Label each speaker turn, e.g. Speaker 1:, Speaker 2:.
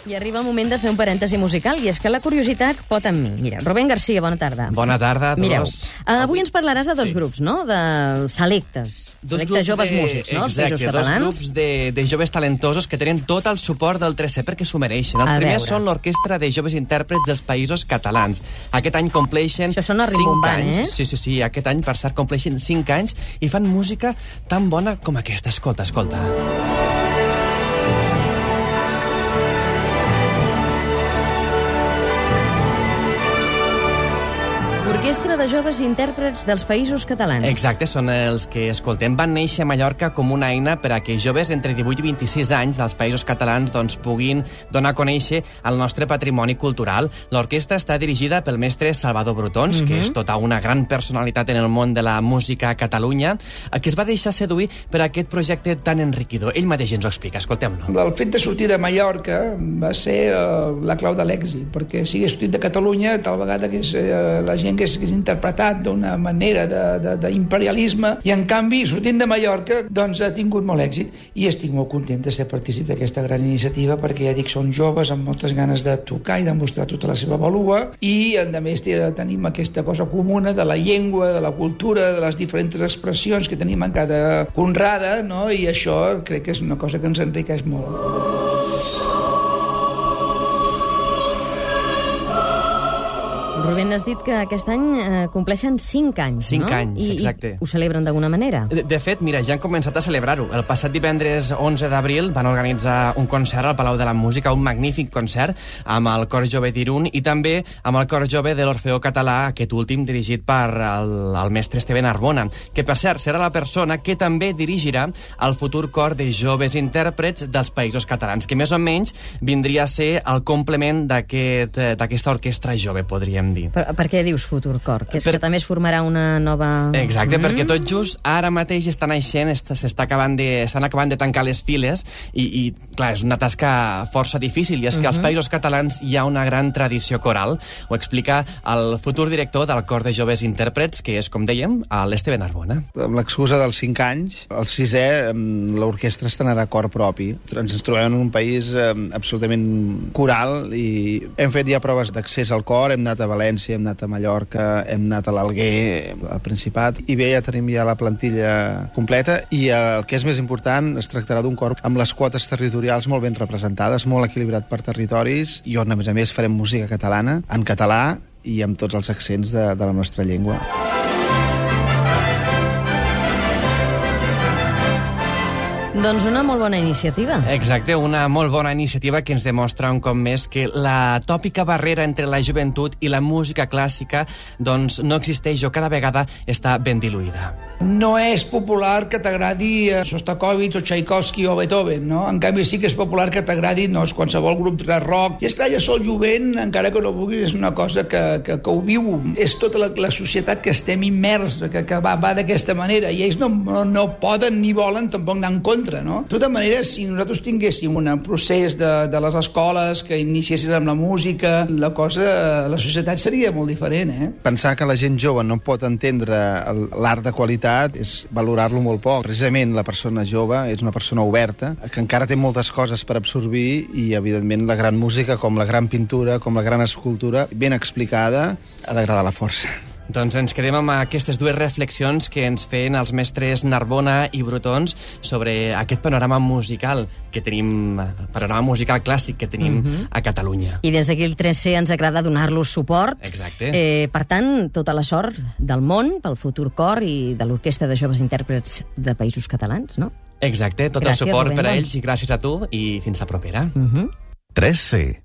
Speaker 1: I arriba el moment de fer un parèntesi musical, i és que la curiositat pot amb mi. Mira, Rubén García, bona tarda.
Speaker 2: Bona tarda a tots.
Speaker 1: Mireu, avui ens parlaràs de dos grups, no? De selectes. Selectes joves músics, no?
Speaker 2: Exacte, dos grups de joves talentosos que tenen tot el suport del 3C perquè s'ho mereixen. Els primers són l'Orquestra de Joves Intèrprets dels Països Catalans. Aquest any compleixen 5 anys. Sí, aquest any, per cert, compleixen 5 anys i fan música tan bona com aquesta. Escolta.
Speaker 1: Orquestra de Joves Intèrprets dels Països Catalans.
Speaker 2: Exacte, són els que escoltem. Van néixer a Mallorca com una eina per a que joves entre 18 i 26 anys dels Països Catalans puguin donar a conèixer el nostre patrimoni cultural. L'orquestra està dirigida pel mestre Salvador Brotons, que és tota una gran personalitat en el món de la música a Catalunya, que es va deixar seduir per aquest projecte tan enriquidor. Ell mateix ens ho explica, escoltem-lo.
Speaker 3: El fet de sortir de Mallorca va ser la clau de l'èxit, perquè si hagués sortit de Catalunya, tal vegada que és la gent que és interpretat d'una manera d'imperialisme, i en canvi, sortint de Mallorca, doncs ha tingut molt èxit, i estic molt content de ser partícip d'aquesta gran iniciativa, perquè ja dic, són joves amb moltes ganes de tocar i de mostrar tota la seva valua, i a més tenim aquesta cosa comuna de la llengua, de la cultura, de les diferents expressions que tenim en cada conrada, no? I això crec que és una cosa que ens enriqueix molt.
Speaker 1: Rubén, has dit que aquest any compleixen 5 anys,
Speaker 2: 5 anys, exacte.
Speaker 1: I ho celebren d'alguna manera?
Speaker 2: De fet, mira, ja han començat a celebrar-ho. El passat divendres 11 d'abril van organitzar un concert al Palau de la Música, un magnífic concert amb el Cor Jove d'Irun i també amb el Cor Jove de l'Orfeó Català, aquest últim dirigit per el mestre Esteve Narbona, que per cert serà la persona que també dirigirà el futur Cor de Joves Intèrprets dels Països Catalans, que més o menys vindria a ser el complement d'aquesta orquestra jove, podríem dir.
Speaker 1: Per què dius futur cor? Que és que també es formarà una nova...
Speaker 2: Exacte, perquè tot just ara mateix estan naixent, estan acabant de tancar les files i clar, és una tasca força difícil, i és que als Països Catalans hi ha una gran tradició coral. Ho explica el futur director del Cor de Joves Intèrprets, que és, com dèiem, l'Esteve Narbona.
Speaker 4: Amb l'excusa dels 5 anys, el 6è, l'orquestra estrenarà cor propi. Ens trobem en un país absolutament coral i hem fet ja proves d'accés al cor, hem anat a València, hem anat a Mallorca, hem anat a l'Alguer, al Principat, i bé, ja tenim ja la plantilla completa, i el que és més important, es tractarà d'un cor amb les quotes territorials molt ben representades, molt equilibrat per territoris, i on, a més, farem música catalana, en català i amb tots els accents de la nostra llengua.
Speaker 1: Doncs una molt bona iniciativa.
Speaker 2: Exacte, una molt bona iniciativa que ens demostra un cop més que la tòpica barrera entre la joventut i la música clàssica doncs no existeix o cada vegada està ben diluïda.
Speaker 3: No és popular que t'agradi Shostakovich o Tchaikovsky o Beethoven, no? En canvi sí que és popular que t'agradi qualsevol grup de rock. I esclar, ja sol jovent, encara que no vulguis, és una cosa que ho viu. És tota la societat que estem immers, que va d'aquesta manera, i ells no poden ni volen tampoc anar en contra, no? De tota manera, si nosaltres tinguéssim un procés de les escoles que iniciessin amb la música, la societat seria molt diferent, eh?
Speaker 4: Pensar que la gent jove no pot entendre l'art de qualitat és valorar-lo molt poc. Precisament la persona jove és una persona oberta, que encara té moltes coses per absorbir, i evidentment la gran música, com la gran pintura, com la gran escultura, ben explicada, ha d'agradar la força.
Speaker 2: Doncs ens quedem amb aquestes dues reflexions que ens feien els mestres Narbona i Brotons sobre aquest panorama musical que tenim, panorama musical clàssic que tenim a Catalunya.
Speaker 1: I des d'aquí el 3C ens agrada donar-los suport.
Speaker 2: Exacte.
Speaker 1: Per tant, tota la sort del món pel futur cor i de l'Orquestra de Joves Intèrprets de Països Catalans, no?
Speaker 2: Exacte, tot el suport per a ells, i gràcies a tu, i fins la propera.
Speaker 5: 3C